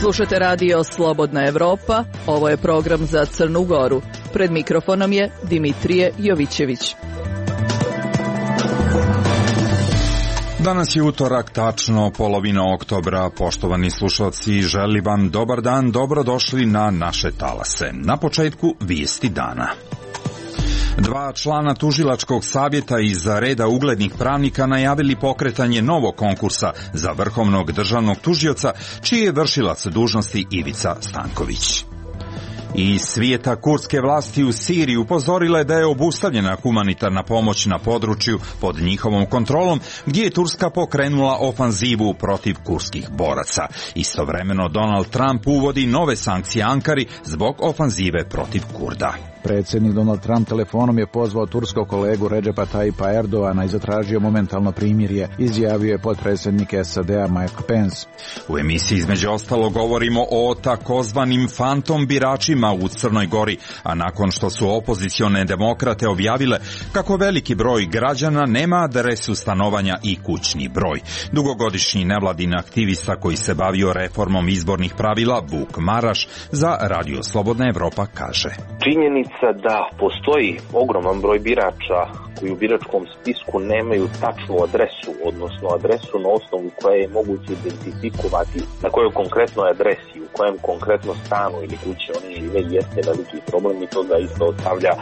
Slušate radio Slobodna Evropa, ovo je program za Crnu Goru. Pred mikrofonom je Dimitrije Jovićević. Danas je utorak, tačno polovina oktobra. Poštovani slušalci, želim vam dobar dan, dobrodošli na naše talase. Na početku vijesti dana. 2 člana tužilačkog savjeta iz reda uglednih pravnika najavili pokretanje novog konkursa za vrhovnog državnog tužioca, čiji je vršilac dužnosti Ivica Stanković. Iz svijeta kurdske vlasti u Siriji upozorile da je obustavljena humanitarna pomoć na području pod njihovom kontrolom, gdje je Turska pokrenula ofanzivu protiv kurdskih boraca. Istovremeno Donald Trump uvodi nove sankcije Ankari zbog ofanzive protiv Kurda. Predsjednik Donald Trump telefonom je pozvao turskog kolegu Redžepa Tayyipa Erdogana i zatražio momentalno primirje, izjavio je potpredsjednik SAD-a Mike Pence. U emisiji između ostalo govorimo o takozvanim fantom biračima u Crnoj Gori, a nakon što su opozicione demokrate objavile kako veliki broj građana nema adresu stanovanja i kućni broj. Dugogodišnji nevladin aktivista koji se bavio reformom izbornih pravila, Vuk Maraš, za Radio Slobodna Evropa kaže: činjenica da postoji ogroman broj birača koji u biračkom spisku nemaju tačnu adresu, odnosno adresu na osnovu koje je moguće identifikovati na kojoj konkretnoj adresi, u kojem konkretno stanu ili kući oni žive, jeste veliki problem i to da isto ostavlja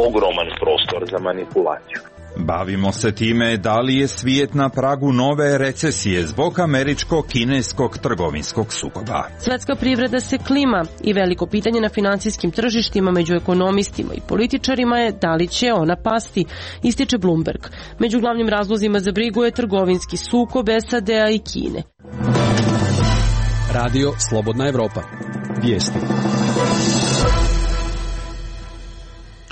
ogroman prostor za manipulaciju. Bavimo se time da li je svijet na pragu nove recesije zbog američko-kineskog trgovinskog sukoba. Svetska privreda se klima i veliko pitanje na finansijskim tržištima među ekonomistima i političarima je da li će ona pasti, ističe Bloomberg. Među glavnim razlozima za brigu je trgovinski sukob SAD-a i Kine. Radio Slobodna Evropa. Vijesti.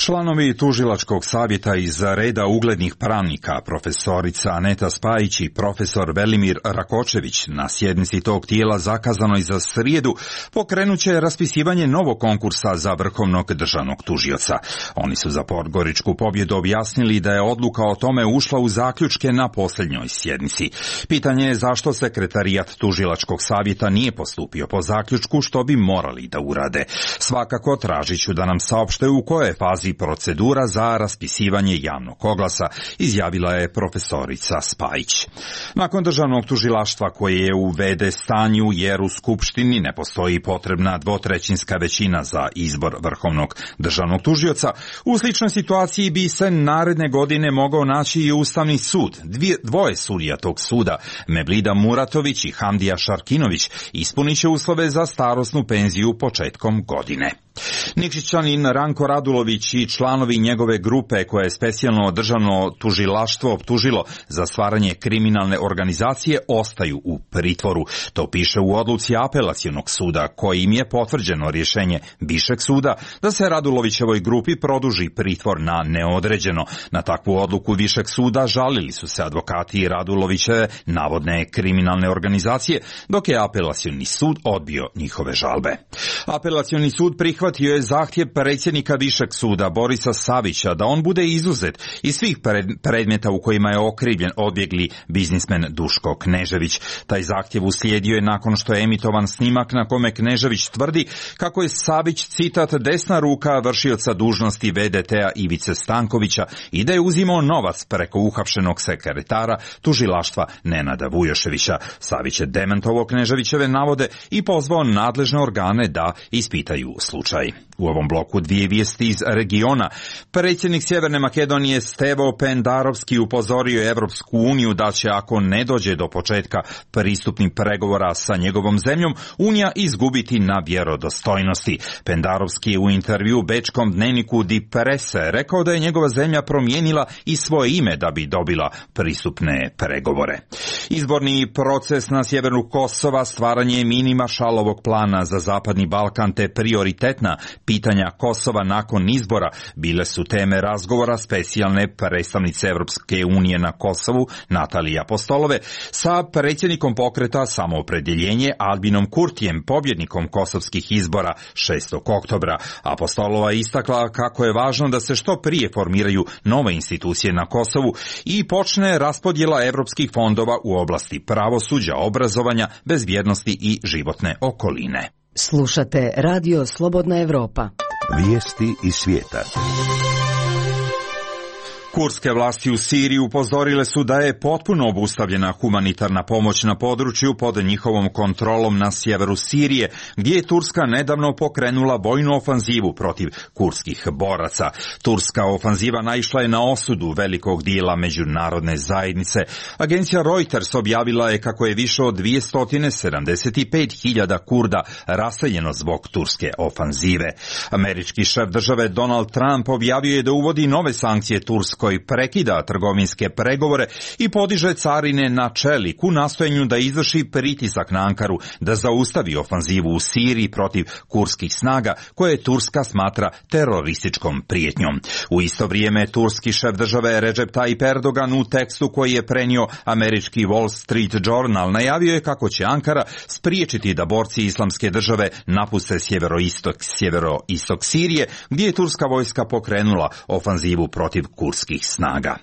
Članovi tužilačkog savjeta iz reda uglednih pravnika, profesorica Aneta Spajić i profesor Velimir Rakočević, na sjednici tog tijela zakazanoj za srijedu pokrenuće raspisivanje novog konkursa za vrhovnog državnog tužioca. Oni su za Podgoričku pobjedu objasnili da je odluka o tome ušla u zaključke na posljednjoj sjednici. Pitanje je zašto sekretarijat tužilačkog savjeta nije postupio po zaključku, što bi morali da urade. Svakako tražit ću da nam saopšte u kojoj fazi procedura za raspisivanje javnog oglasa, izjavila je profesorica Spajić. Nakon državnog tužilaštva koje je u v.d. stanju jer u Skupštini ne postoji potrebna dvotrećinska većina za izbor vrhovnog državnog tužioca, u sličnoj situaciji bi se naredne godine mogao naći i Ustavni sud. Dvoje sudija tog suda, Mevlida Muratović i Hamdija Šarkinović, ispunit će uslove za starosnu penziju početkom godine. Nikšićanin Ranko Radulović i članovi njegove grupe koje je specijalno državno tužilaštvo optužilo za stvaranje kriminalne organizacije ostaju u pritvoru. To piše u odluci apelacionog suda, kojim je potvrđeno rješenje Višeg suda da se Radulovićevoj grupi produži pritvor na neodređeno. Na takvu odluku Višeg suda žalili su se advokati Radulovićeve navodne kriminalne organizacije, dok je apelacioni sud odbio njihove žalbe. Apelacioni sud prihvatio je zahtjev predsjednika Višeg suda Borisa Savića da on bude izuzet iz svih predmeta u kojima je okrivljen odbjegli biznismen Duško Knežević. Taj zahtjev uslijedio je nakon što je emitovan snimak na kome Knežević tvrdi kako je Savić, citat, desna ruka vršioca dužnosti VDT-a Ivice Stankovića i da je uzimao novac preko uhapšenog sekretara tužilaštva Nenada Vujoševića. Savić je demantovao Kneževićeve navode i pozvao nadležne organe da ispitaju slučaj. U ovom bloku dvije vijesti iz regiona. Predsjednik Sjeverne Makedonije Stevo Pendarovski upozorio je Evropsku uniju da će, ako ne dođe do početka pristupnih pregovora sa njegovom zemljom, Unija izgubiti na vjerodostojnosti. Pendarovski je u intervju bečkom dnevniku Die Presse rekao da je njegova zemlja promijenila i svoje ime da bi dobila pristupne pregovore. Izborni proces na sjeveru Kosova, stvaranje mini Maršalovog plana za Zapadni Balkan te prioritetne konkretna pitanja Kosova nakon izbora bile su teme razgovora specijalne predstavnice Evropske unije na Kosovu Natalije Apostolove sa predsjednikom pokreta Samoopredjeljenje Albinom Kurtijem, pobjednikom kosovskih izbora 6. oktobra. Apostolova istakla kako je važno da se što prije formiraju nove institucije na Kosovu i počne raspodjela evropskih fondova u oblasti pravosuđa, obrazovanja, bezbjednosti i životne okoline. Slušate Radio Slobodna Evropa. Vijesti iz svijeta. Kurdske vlasti u Siriji upozorile su da je potpuno obustavljena humanitarna pomoć na području pod njihovom kontrolom na sjeveru Sirije, gdje je Turska nedavno pokrenula vojnu ofanzivu protiv kurdskih boraca. Turska ofanziva naišla je na osudu velikog dijela međunarodne zajednice. Agencija Reuters objavila je kako je više od 275.000 Kurda raseljeno zbog turske ofanzive. Američki šef države Donald Trump objavio je da uvodi nove sankcije Turskoj, koji prekida trgovinske pregovore i podiže carine na čelik u nastojanju da izvrši pritisak na Ankaru da zaustavi ofanzivu u Siriji protiv kurdskih snaga koje Turska smatra terorističkom prijetnjom. U isto vrijeme turski šef države Recep Tayyip Erdogan u tekstu koji je prenio američki Wall Street Journal najavio je kako će Ankara spriječiti da borci Islamske države napuste sjeveroistok Sirije, gdje je turska vojska pokrenula ofanzivu protiv kurdskih snaga.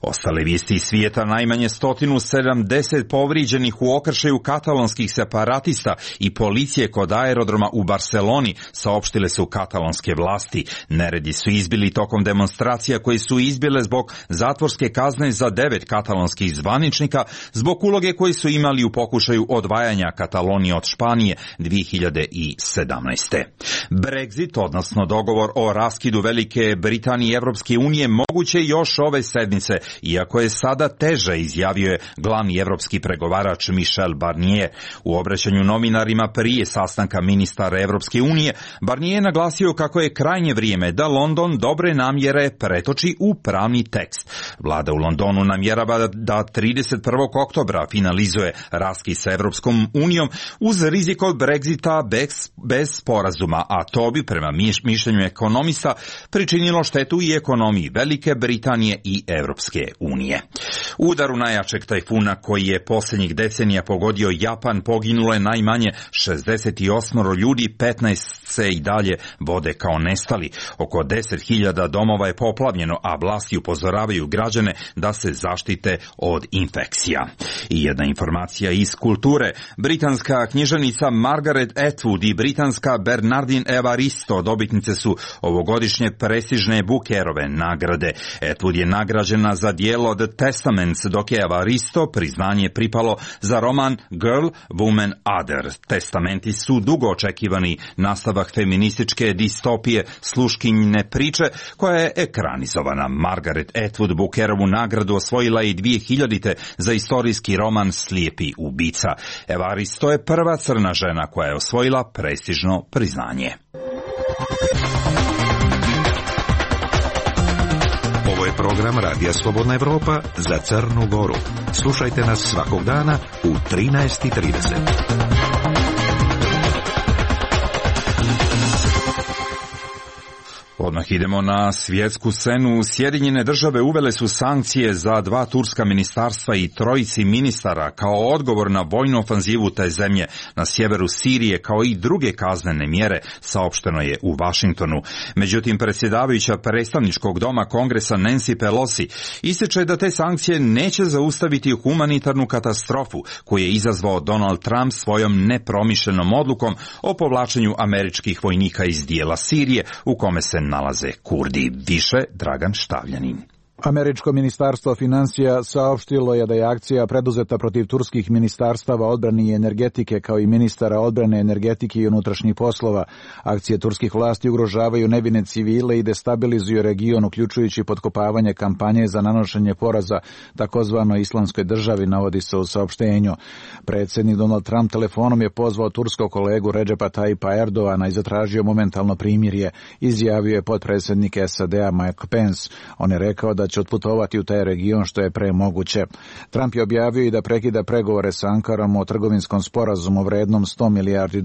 Ostale vijesti iz svijeta: najmanje 170 povrijeđenih u okršaju katalonskih separatista i policije kod aerodroma u Barceloni, saopštile su katalonske vlasti. Neredi su izbili tokom demonstracija koje su izbile zbog zatvorske kazne za 9 katalonskih zvaničnika zbog uloge koje su imali u pokušaju odvajanja Katalonije od Španije 2017. Brexit, odnosno dogovor o raskidu Velike Britanije i Evropske unije, moguće još ove sedmice, iako je sada teže, izjavio je glavni evropski pregovarač Michel Barnier. U obraćanju novinarima prije sastanka ministara Evropske unije, Barnier je naglasio kako je krajnje vrijeme da London dobre namjere pretoči u pravni tekst. Vlada u Londonu namjerava da 31. oktobra finalizuje raskid sa Evropskom unijom uz rizik od Brexita bez sporazuma, a to bi prema mišljenju ekonomista pričinilo štetu i ekonomiji Velike Britanije i Evropske unije. U udaru najjačeg tajfuna koji je posljednjih decenija pogodio Japan poginulo je najmanje 68 ljudi, 15 se i dalje vode kao nestali. Oko 10.000 domova je poplavljeno, a vlasti upozoravaju građane da se zaštite od infekcija. I jedna informacija iz kulture: britanska književnica Margaret Atwood i britanska Bernardine Evaristo dobitnice su ovogodišnje prestižne Bookerove nagrade. Atwood je nagrađena za djelo The Testaments, dok je Evaristo priznanje pripalo za roman Girl, Woman, Other. Testamenti su dugo očekivani nastavak feminističke distopije Sluškinjine priče, koja je ekranizovana. Margaret Atwood Bookerovu nagradu osvojila i 2000. za istorijski roman Slijepi ubica. Evaristo je prva crna žena koja je osvojila prestižno priznanje. Ovo je program Radija Slobodna Evropa za Crnu Goru. Slušajte nas svakog dana u 13:30. Odmah idemo na svjetsku scenu. Sjedinjene države uvele su sankcije za 2 turska ministarstva i 3 ministara kao odgovor na vojnu ofanzivu te zemlje na sjeveru Sirije, kao i druge kaznene mjere, saopšteno je u Vašingtonu. Međutim, predsjedavajuća predstavničkog doma Kongresa Nancy Pelosi ističe da te sankcije neće zaustaviti humanitarnu katastrofu koju je izazvao Donald Trump svojom nepromišljenom odlukom o povlačenju američkih vojnika iz dijela Sirije u kome se nalaze Kurdi. Više Dragan Štavljanin. Američko ministarstvo financija saopštilo je da je akcija preduzeta protiv turskih ministarstava odbrane i energetike, kao i ministara odbrane, energetike i unutrašnjih poslova. Akcije turskih vlasti ugrožavaju nevine civile i destabilizuju region, uključujući potkopavanje kampanje za nanošenje poraza takozvanoj Islamskoj državi, navodi se u saopštenju. Predsjednik Donald Trump telefonom je pozvao turskog kolegu Recepa Tayyipa Erdogana i zatražio momentalno primirje, izjavio je potpredsjednik SAD-a Mike Pence. On je rekao da će otputovati u taj region što je pre moguće. Trump je objavio i da prekida pregovore sa Ankarom o trgovinskom sporazumu vrednom $100 milijardi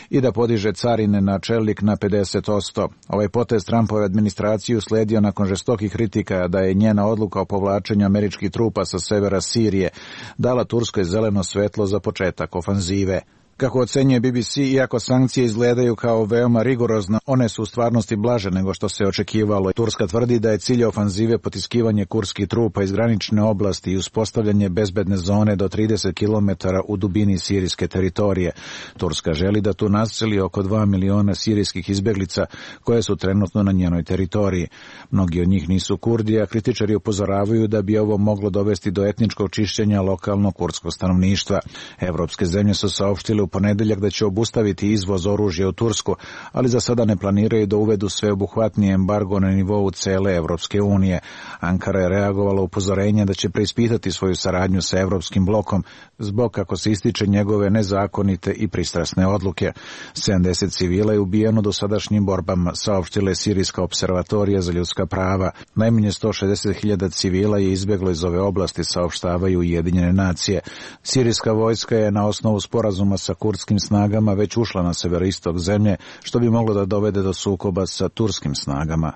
i da podiže carine na čelik na 50%. Ovaj potez Trumpove administraciji usledio nakon žestokih kritika da je njena odluka o povlačenju američkih trupa sa severa Sirije dala Turskoj zeleno svetlo za početak ofanzive. Kako ocenjuje BBC, iako sankcije izgledaju kao veoma rigorozne, one su u stvarnosti blaže nego što se očekivalo. Turska tvrdi da je cilj ofanzive potiskivanje kurdskih trupa iz granične oblasti i uspostavljanje bezbedne zone do 30 km u dubini sirijske teritorije. Turska želi da tu naseli oko 2 miliona sirijskih izbeglica koje su trenutno na njenoj teritoriji. Mnogi od njih nisu Kurdi, a kritičari upozoravaju da bi ovo moglo dovesti do etničkog čišćenja lokalnog kurdskog stanovništva. Evropske zemlje su saopštile u ponedeljak da će obustaviti izvoz oružja u Tursku, ali za sada ne planiraju da uvedu sveobuhvatni embargo na nivou cele Evropske unije. Ankara je reagovala upozorenje da će preispitati svoju saradnju sa Evropskim blokom zbog, kako se ističe, njegove nezakonite i pristrasne odluke. 70 civila je ubijeno do sadašnjim borbama, saopštila je Sirijska observatorija za ljudska prava. Najmanje 160.000 civila je izbjeglo iz ove oblasti, saopštavaju Ujedinjene nacije. Sirijska vojska je na osnovu sporazuma sa kurdskim snagama već ušla na severoistok zemlje, što bi moglo da dovede do sukoba sa turskim snagama.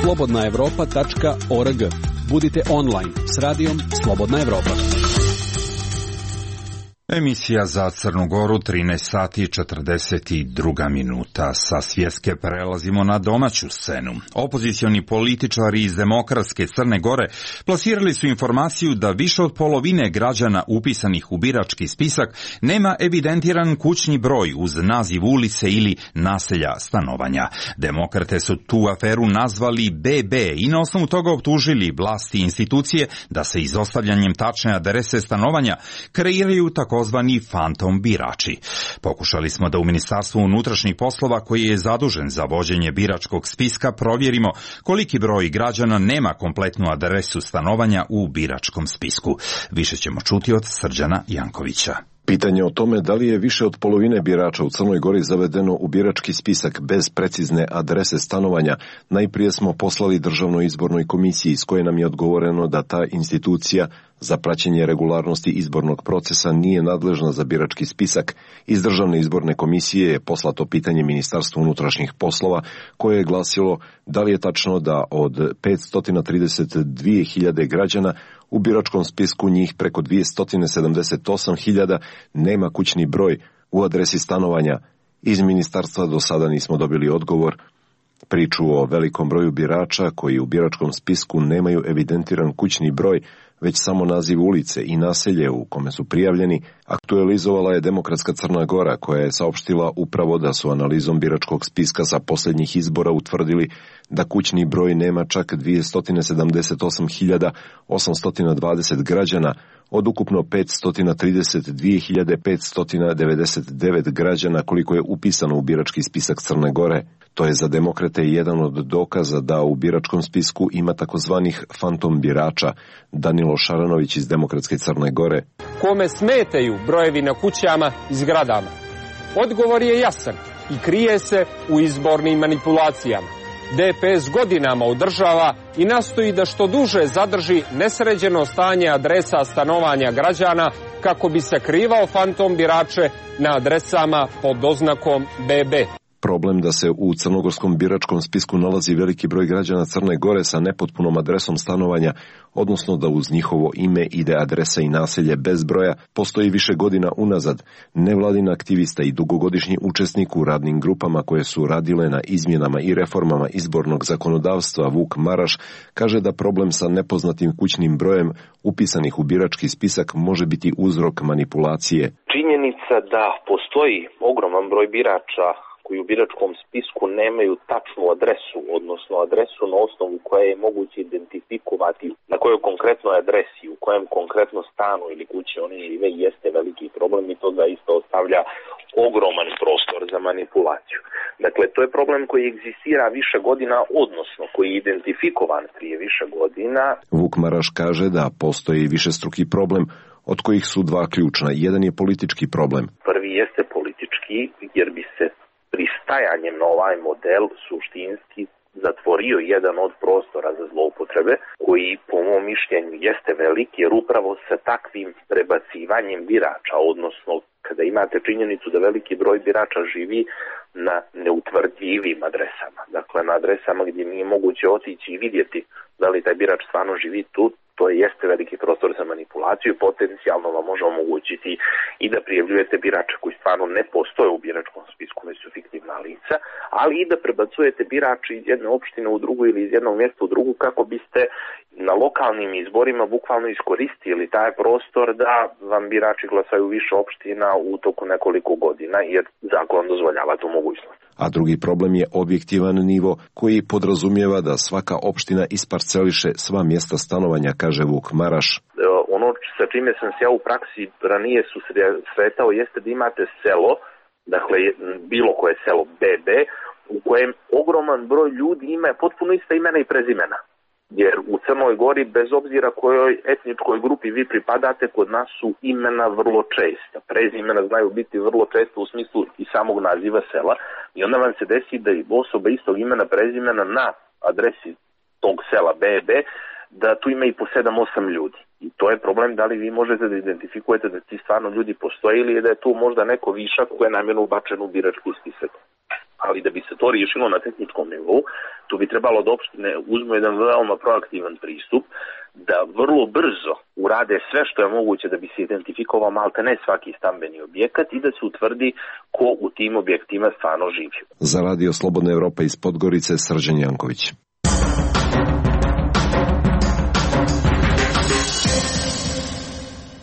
slobodnaevropa.org. Budite online s radijom Slobodna Evropa. Emisija za Crnu Goru, 13 sati i 42 minuta. Sa svjetske prelazimo na domaću scenu. Opozicioni političari iz Demokratske Crne Gore plasirali su informaciju da više od polovine građana upisanih u birački spisak nema evidentiran kućni broj uz naziv ulice ili naselja stanovanja. Demokrate su tu aferu nazvali BB i na osnovu toga optužili vlasti i institucije da se izostavljanjem tačne adrese stanovanja kreiraju takozvani fantom birači. Pokušali smo da u Ministarstvu unutrašnjih poslova, koji je zadužen za vođenje biračkog spiska, provjerimo koliki broj građana nema kompletnu adresu stanovanja u biračkom spisku. Više ćemo čuti od Srđana Jankovića. Pitanje o tome da li je više od polovine birača u Crnoj Gori zavedeno u birački spisak bez precizne adrese stanovanja, najprije smo poslali Državnoj izbornoj komisiji, s koje nam je odgovoreno da ta institucija za praćenje regularnosti izbornog procesa nije nadležna za birački spisak. Iz Državne izborne komisije je poslato pitanje Ministarstvu unutrašnjih poslova, koje je glasilo da li je tačno da od 532.000 građana u biračkom spisku njih preko 278.000 nema kućni broj u adresi stanovanja. Iz ministarstva do sada nismo dobili odgovor. Priču o velikom broju birača koji u biračkom spisku nemaju evidentiran kućni broj, već samo naziv ulice i naselje u kome su prijavljeni, aktualizovala je Demokratska Crna Gora, koja je saopštila upravo da su analizom biračkog spiska sa posljednjih izbora utvrdili da kućni broj nema čak 278.820 građana od ukupno 532.599 građana koliko je upisano u birački spisak Crne Gore. To je za demokrate jedan od dokaza da u biračkom spisku ima takozvanih fantom birača. Danilo Šaranović iz Demokratske Crne Gore. Kome smetaju brojevi na kućama i zgradama? Odgovor je jasan i krije se u izbornim manipulacijama. DPS godinama održava i nastoji da što duže zadrži nesređeno stanje adresa stanovanja građana kako bi sakrivao fantom birače na adresama pod oznakom BB. Problem da se u crnogorskom biračkom spisku nalazi veliki broj građana Crne Gore sa nepotpunom adresom stanovanja, odnosno da uz njihovo ime ide adresa i naselje bez broja, postoji više godina unazad. Nevladin aktivista i dugogodišnji učesnik u radnim grupama koje su radile na izmjenama i reformama izbornog zakonodavstva, Vuk Maraš, kaže da problem sa nepoznatim kućnim brojem upisanih u birački spisak može biti uzrok manipulacije. Činjenica da postoji ogroman broj birača koji u biračkom spisku nemaju tačnu adresu, odnosno adresu na osnovu koje je moguće identifikovati na kojoj konkretnoj adresi, u kojem konkretno stanu ili kući oni žive, jeste veliki problem i to zaista ostavlja ogroman prostor za manipulaciju. Dakle, to je problem koji egzistira više godina, odnosno koji je identifikovan prije više godina. Vuk Maraš kaže da postoji višestruki problem, od kojih su dva ključna. Jedan je politički problem. Prvi jeste politički, jer bi se pristajanjem na ovaj model suštinski zatvorio jedan od prostora za zloupotrebe, koji po mom mišljenju jeste veliki, jer upravo sa takvim prebacivanjem birača, odnosno kada imate činjenicu da veliki broj birača živi na neutvrdljivim adresama, dakle na adresama gdje nije moguće otići i vidjeti da li taj birač stvarno živi tu, to jeste veliki prostor za manipulaciju i potencijalno vam može omogućiti i da prijavljujete birače koji stvarno ne postoje u biračkom spisku, već su fiktivna lica, ali i da prebacujete birače iz jedne opštine u drugu ili iz jednog mjesta u drugu kako biste na lokalnim izborima bukvalno iskoristili taj prostor da vam birači glasaju više opština u toku nekoliko godina, jer zakon dozvoljava tu mogućnost. A drugi problem je objektivan nivo koji podrazumijeva da svaka opština isparceliše sva mjesta stanovanja, kaže Vuk Maraš. Ono sa čime sam se ja u praksi ranije susretao jeste da imate selo, dakle bilo koje selo BB, u kojem ogroman broj ljudi ima potpuno ista imena i prezimena. Jer u Crnoj Gori, bez obzira kojoj etničkoj grupi vi pripadate, kod nas su imena vrlo česta. Prezimena znaju biti vrlo često u smislu i samog naziva sela. I onda vam se desi da i osoba istog imena prezimena na adresi tog sela BB, da tu ima i po 7-8 ljudi. I to je problem da li vi možete da identifikujete da ti stvarno ljudi postoje ili da je tu možda neko višak koji je namjerno ubačen u birački spisak. Ali da bi se to riješilo na tehničkom nivou, tu bi trebalo da opštine uzmu jedan veoma proaktivan pristup, da vrlo brzo urade sve što je moguće da bi se identifikovao malte ne svaki stambeni objekat i da se utvrdi ko u tim objektima stvarno živi. Za Radio Slobodna Evropa iz Podgorice, Srđan Janković.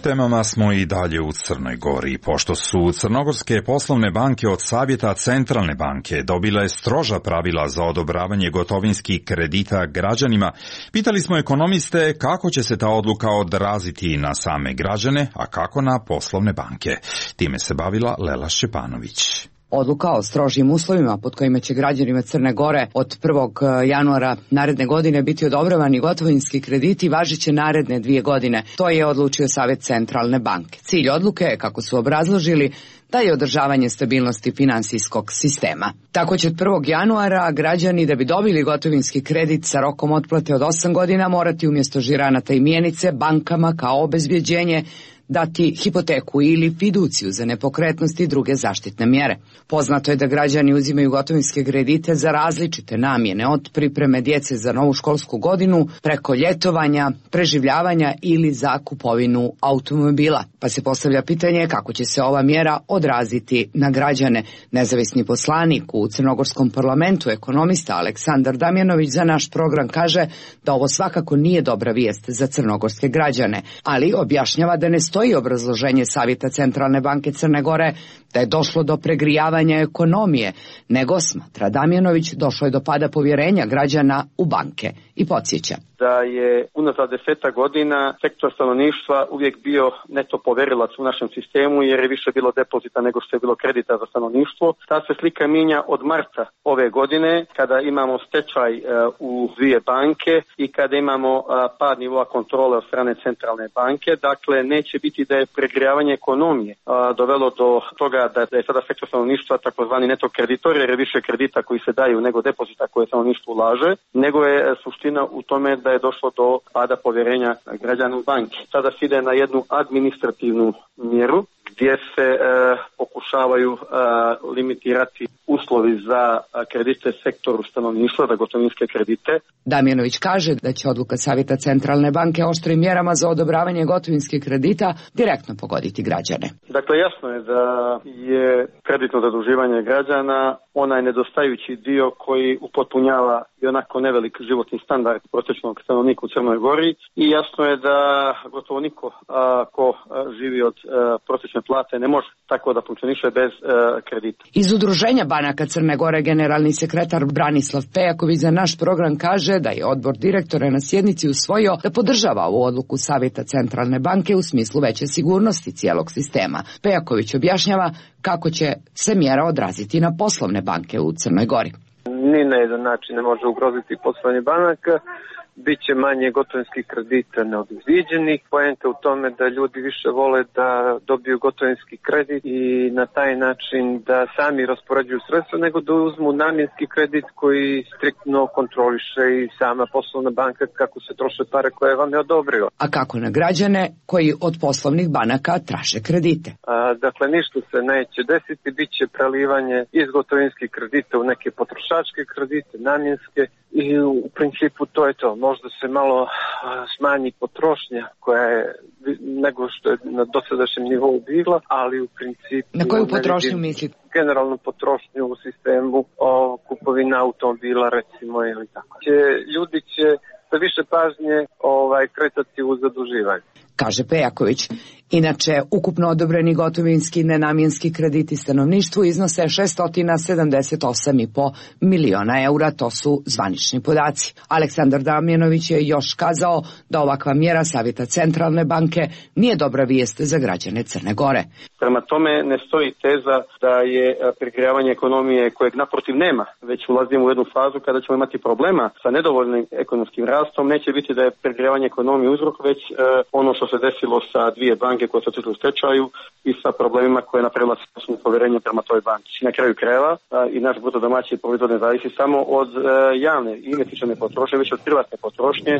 Temama smo i dalje u Crnoj Gori. Pošto su crnogorske poslovne banke od Savjeta Centralne banke dobile stroža pravila za odobravanje gotovinskih kredita građanima, pitali smo ekonomiste kako će se ta odluka odraziti na same građane, a kako na poslovne banke. Time se bavila Lela Šćepanović. Odluka o strožim uslovima pod kojima će građanima Crne Gore od 1. januara naredne godine biti odobravani gotovinski krediti važeće naredne 2 godine. To je odlučio Savjet Centralne banke. Cilj odluke je, kako su obrazložili, da je održavanje stabilnosti finansijskog sistema. Tako će od 1. januara građani da bi dobili gotovinski kredit sa rokom otplate od 8 godina morati umjesto žiranata i mjenice bankama kao obezbjeđenje dati hipoteku ili fiduciju za nepokretnosti i druge zaštitne mjere. Poznato je da građani uzimaju gotovinske kredite za različite namjene, od pripreme djece za novu školsku godinu, preko ljetovanja, preživljavanja ili za kupovinu automobila. Pa se postavlja pitanje kako će se ova mjera odraziti na građane. Nezavisni poslanik u Crnogorskom parlamentu, ekonomista Aleksandar Damjanović, za naš program kaže da ovo svakako nije dobra vijest za crnogorske građane, ali objašnjava da ne stoji obrazloženje Savjeta Centralne banke Crne Gore da je došlo do pregrijavanja ekonomije, nego, smatra Damjanović, došlo je do pada povjerenja građana u banke i podsjeća da je unazad 10 godina sektor stanovništva uvijek bio neto poverilac u našem sistemu, jer je više bilo depozita nego što je bilo kredita za stanovništvo. Ta se slika mijenja od marta ove godine, kada imamo stečaj u 2 banke i kada imamo pad nivoa kontrole od strane centralne banke. Dakle, neće biti da je pregrijavanje ekonomije dovelo do toga da je sada sektor stanovništva takozvani neto kreditor, jer je više kredita koji se daju nego depozita koje stanovništvo ulaže, nego je suština u tome da je došlo do pada povjerenja građana u banke. Sada se ide na jednu administrativnu mjeru gdje se pokušavaju limitirati uslovi za kredite sektoru stanovništva, za gotovinske kredite. Damjanović kaže da će odluka Savjeta Centralne banke oštrim mjerama za odobravanje gotovinskih kredita direktno pogoditi građane. Dakle, jasno je da je kreditno zaduživanje građana onaj nedostajući dio koji upotpunjava i onako nevelik životni standard prosječnog stanovnika u Crnoj Gori, i jasno je da gotovo niko ko živi od prosječne plate ne može tako da funkcioniše bez kredita. Iz Udruženja banaka Crne Gore generalni sekretar Branislav Pejaković za naš program kaže da je odbor direktora na sjednici usvojio da podržava ovu odluku Savjeta Centralne banke u smislu veće sigurnosti cijelog sistema. Pejaković objašnjava kako će se mjera odraziti na poslovne banke u Crnoj Gori. Ni na jedan način ne može ugroziti poslovanje banaka, biće manje gotovinskih kredita neobezviđenih. Poenta u tome da ljudi više vole da dobiju gotovinski kredit i na taj način da sami raspoređuju sredstva nego da uzmu namjenski kredit koji striktno kontroliše i sama poslovna banka kako se troše pare koje vam je odobrio. A kako na građane koji od poslovnih banaka traže kredite? Dakle, ništa se neće desiti, bit će prelivanje iz gotovinskih kredita u neke potrošačke kredite, namjenske i u principu to je to. Možda se malo smanji potrošnja koja je nego što je na dosadašnjem nivou bila, ali u principu... Na koju potrošnju mislite? Generalnu potrošnju u sistemu kupovina automobila recimo ili tako. Ljudi će sa više pažnje kretati u zaduživanje. Kaže Pejaković. Inače, ukupno odobreni gotovinski nenamjenski krediti stanovništvu iznose 678,5 miliona eura, to su zvanični podaci. Aleksandar Damjanović je još kazao da ovakva mjera Savjeta Centralne banke nije dobra vijest za građane Crne Gore. Prema tome ne stoji teza da je pregrevanje ekonomije kojeg naprotiv nema, već ulazimo u jednu fazu kada ćemo imati problema sa nedovoljnim ekonomskim rastom. Neće biti da je pregrevanje ekonomije uzrok, već ono što se desilo sa dvije banke koje su otišle u stečaju i sa problemima koje je napravila povjerenje prema toj banci. Na kraju krajeva i naš bruto domaći proizvod ne zavisi samo od javne i investicione potrošnje, već od privatne potrošnje,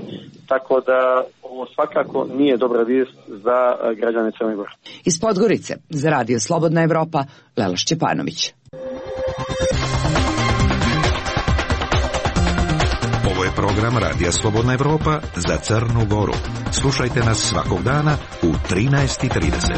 tako da ovo svakako nije dobra vijest za građane Crne Gore. Iz Podgorice za Radio Slobodna Evropa, Lela Šćepanović. Ovo je program Radija Slobodna Evropa za Crnu Goru. Slušajte nas svakog dana u 13:30.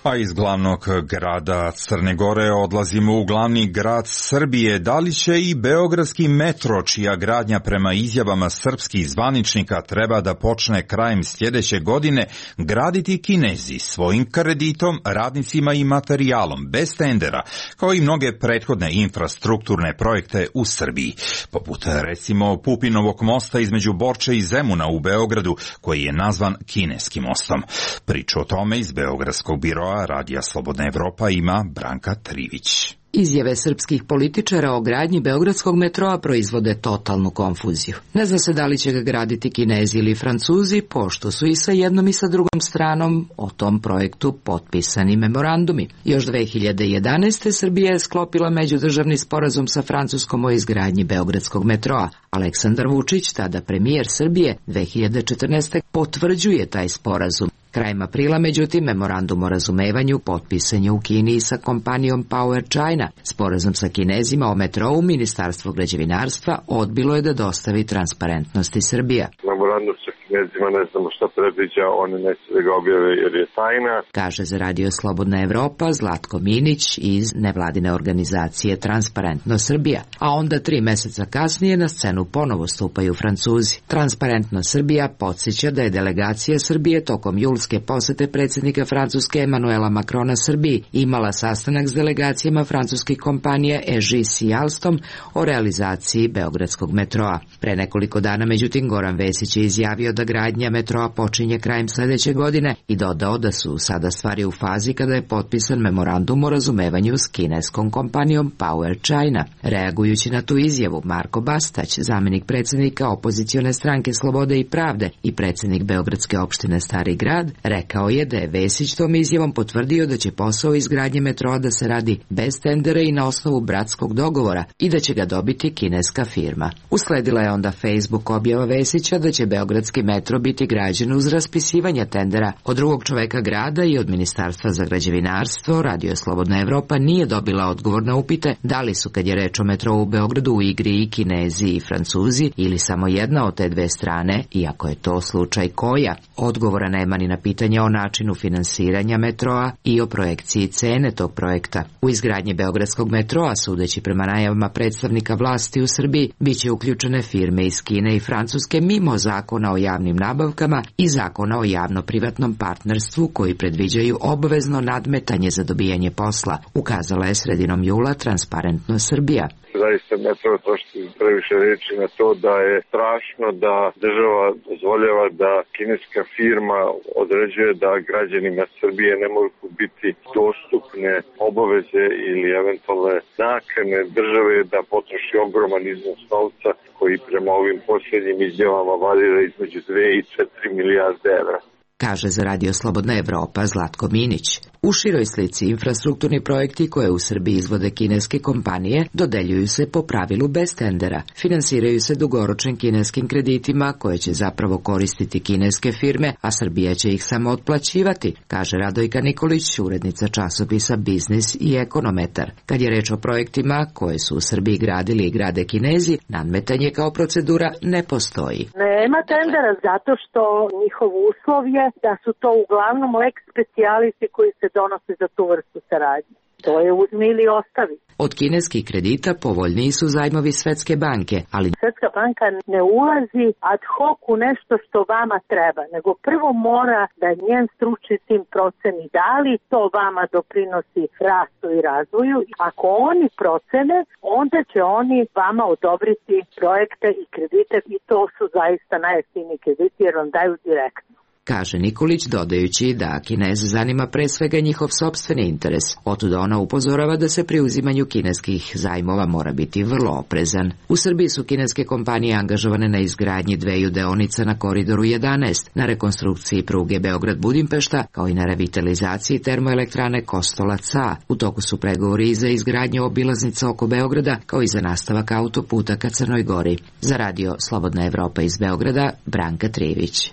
A iz glavnog grada Crne Gore odlazimo u glavni grad Srbije. Da li će i beogradski metro, čija gradnja prema izjavama srpskih zvaničnika treba da počne krajem sljedeće godine, graditi Kinezi svojim kreditom, radnicima i materijalom, bez tendera, kao i mnoge prethodne infrastrukturne projekte u Srbiji, poput recimo Pupinovog mosta između Borče i Zemuna u Beogradu, koji je nazvan Kineskim mostom. Priču o tome iz beogradskog biroa Radija Slobodna Evropa ima Branka Trivić. Izjave srpskih političara o gradnji beogradskog metroa proizvode totalnu konfuziju. Ne zna se da li će ga graditi Kinezi ili Francuzi, pošto su i sa jednom i sa drugom stranom o tom projektu potpisani memorandumi. Još 2011. Srbija je sklopila međudržavni sporazum sa Francuskom o izgradnji beogradskog metroa. Aleksandar Vučić, tada premijer Srbije, 2014. potvrđuje taj sporazum. Krajem aprila, međutim, memorandum o razumevanju potpisan je u Kini sa kompanijom Power China. Sporazum sa Kinezima o metrou Ministarstvo građevinarstva odbilo je da dostavi Transparentnosti Srbija. Memorandum sa Kinezima ne znamo šta predviđa, oni neće da ga objave jer je tajna. Kaže za Radio Slobodna Evropa Zlatko Minić iz nevladine organizacije Transparentnost Srbija. A onda 3 meseca kasnije na scenu ponovo stupaju Francuzi. Transparentnost Srbija podsjeća da je delegacija Srbije tokom julske posete predsjednika Francuske Emanuela Macrona Srbiji imala sastanak s delegacijama francuskih kompanija EGIS i Alstom o realizaciji beogradskog metroa. Pre nekoliko dana, međutim, Goran Vesić je izjavio da gradnja metroa počinje krajem sljedeće godine i dodao da su sada stvari u fazi kada je potpisan memorandum o razumevanju s kineskom kompanijom Power China. Reagujući na tu izjavu, Marko Bastać, zamjenik predsjednika opozicione stranke Slobode i pravde i predsjednik Beogradske opštine Stari grad, rekao je da je Vesić tom izjavom potvrdio da će posao izgradnje metroa da se radi bez tendera i na osnovu bratskog dogovora i da će ga dobiti kineska firma. Usledila je onda Facebook objava Vesića da će beogradski metro biti građen uz raspisivanje tendera od drugog čoveka grada i od Ministarstva za građevinarstvo. Radio Slobodna Evropa nije dobila odgovor na upite da li su, kad je reč o metrou u Beogradu, u igri i Kinezi i Francuzi ili samo jedna od te dve strane, iako je to slučaj koja. Odgovora nema ni na pitanje o načinu finansiranja metroa i o projekciji cene tog projekta. U izgradnji beogradskog metroa, sudeći prema najavama predstavnika vlasti u Srbiji, bit će uključene firme iz Kine i Francuske mimo zakona o javnim nabavkama i zakona o javno-privatnom partnerstvu koji predviđaju obavezno nadmetanje za dobijanje posla, ukazala je sredinom jula Transparentnost Srbija. zaista ne treba trošiti previše reči na to da je strašno da država dozvoljava da kineska firma određuje da građanima Srbije ne mogu biti dostupne obaveze ili eventualne nakane države da potroši ogroman iznos novca koji prema ovim posljednjim izjavama varira između 2 i 4 milijarde evra. Kaže za Radio Slobodna Evropa Zlatko Minić. U široj slici infrastrukturni projekti koje u Srbiji izvode kineske kompanije dodeljuju se po pravilu bez tendera. Finansiraju se dugoročnim kineskim kreditima koje će zapravo koristiti kineske firme, a Srbija će ih samo otplaćivati, kaže Radojka Nikolić, urednica časopisa Biznis i Ekonometar. Kad je reč o projektima koje su u Srbiji gradili i grade Kinezi, nadmetanje kao procedura ne postoji. Nema tendera zato što njihov uslov je da su to uglavnom lex specialisi koji se donose za tu vrstu saradnje. To je uzmi ili ostavi. Od kineskih kredita povoljniji su zajmovi Svetske banke, ali Svetska banka ne ulazi ad hoc u nešto što vama treba, nego prvo mora da njen stručni tim proceni da li to vama doprinosi rastu i razvoju. Ako oni procene, onda će oni vama odobriti projekte i kredite i to su zaista najjeftiniji krediti jer vam daju direktno. Kaže Nikolić, dodajući da Kineze zanima pre svega njihov sopstveni interes. Otuda ona upozorava da se pri uzimanju kineskih zajmova mora biti vrlo oprezan. U Srbiji su kineske kompanije angažovane na izgradnji 2 deonica na Koridoru 11, na rekonstrukciji pruge Beograd-Budimpešta, kao i na revitalizaciji termoelektrane Kostolac-A. U toku su pregovori i za izgradnju obilaznica oko Beograda, kao i za nastavak autoputa ka Crnoj Gori. Za Radio Slobodna Evropa iz Beograda, Branka Trivić.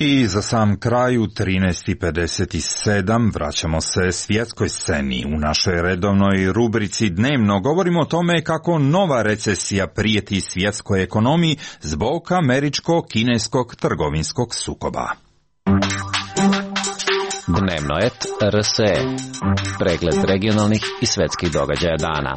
I za sam kraj u 13:57 vraćamo se svjetskoj sceni. U našoj redovnoj rubrici Dnevno govorimo o tome kako nova recesija prijeti svjetskoj ekonomiji zbog američko-kineskog trgovinskog sukoba. Dnevno et RSE. Pregled regionalnih i svetskih događaja dana.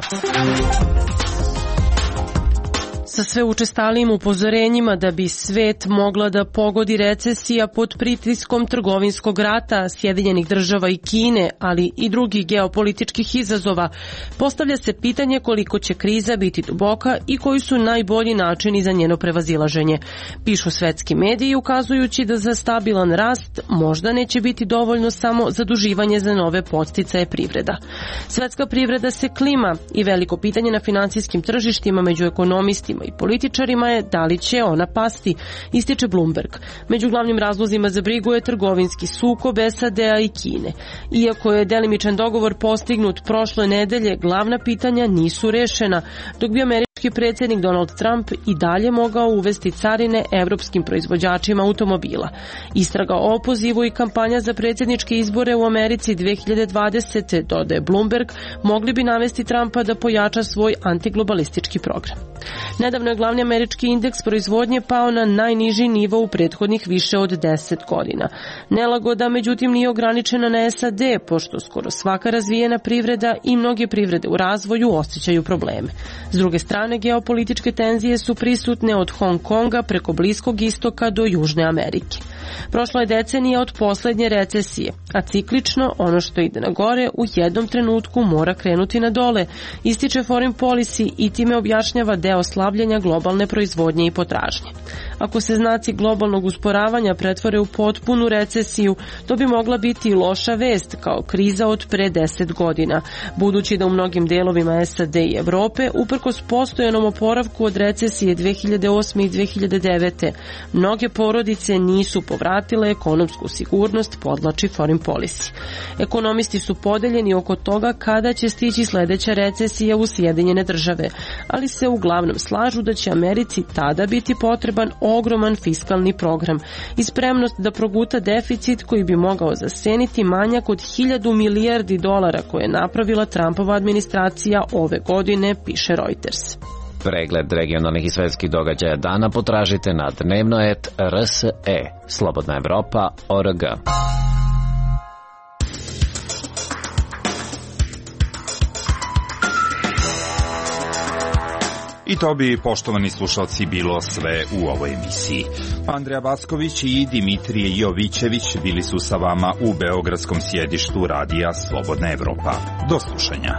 Sa sve učestalijim upozorenjima da bi svet mogla da pogodi recesija pod pritiskom trgovinskog rata Sjedinjenih država i Kine, ali i drugih geopolitičkih izazova, postavlja se pitanje koliko će kriza biti duboka i koji su najbolji načini za njeno prevazilaženje. Pišu svetski mediji ukazujući da za stabilan rast možda neće biti dovoljno samo zaduživanje za nove podsticaje privreda. Svetska privreda se klima i veliko pitanje na finansijskim tržištima među ekonomistima i političarima je da li će ona pasti, ističe Bloomberg. Među glavnim razlozima za brigu je trgovinski sukob SAD-a i Kine. Iako je delimičan dogovor postignut prošle nedelje, glavna pitanja nisu rešena, dok bi američki predsjednik Donald Trump i dalje mogao uvesti carine evropskim proizvođačima automobila. Istraga o opozivu i kampanja za predsjedničke izbore u Americi 2020. dodaje Bloomberg, mogli bi navesti Trumpa da pojača svoj antiglobalistički program. Nedavno je glavni američki indeks proizvodnje pao na najniži nivo u prethodnih više od 10 godina. Nelagoda, međutim, nije ograničena na SAD, pošto skoro svaka razvijena privreda i mnoge privrede u razvoju osjećaju probleme. S druge strane, geopolitičke tenzije su prisutne od Hong Konga preko Bliskog istoka do Južne Amerike. Prošla je decenija od poslednje recesije, a ciklično ono što ide na gore u jednom trenutku mora krenuti na dole, ističe Foreign Policy i time objašnjava deo slabljenja globalne proizvodnje i potražnje. Ako se znaci globalnog usporavanja pretvore u potpunu recesiju, to bi mogla biti i loša vest kao kriza od pre 10 godina, budući da u mnogim delovima SAD i Evrope, uprkos postojanom oporavku od recesije 2008. i 2009. mnoge porodice nisu povratile ekonomsku sigurnost, podlači Foreign Policy. Ekonomisti su podeljeni oko toga kada će stići sledeća recesija u Sjedinjene države, ali se uglavnom slažu da će Americi tada biti potreban ogroman fiskalni program i spremnost da proguta deficit koji bi mogao zaseniti manjak od 1000 milijardi dolara koje je napravila Trumpova administracija ove godine, piše Reuters. Pregled regionalnih i svetskih događaja dana potražite na dnevno.rs.e. Slobodna Evropa.org. I to bi, poštovani slušalci, bilo sve u ovoj emisiji. Andreja Backović i Dimitrije Jovićević bili su sa vama u beogradskom sjedištu Radija Slobodna Evropa. Do slušanja.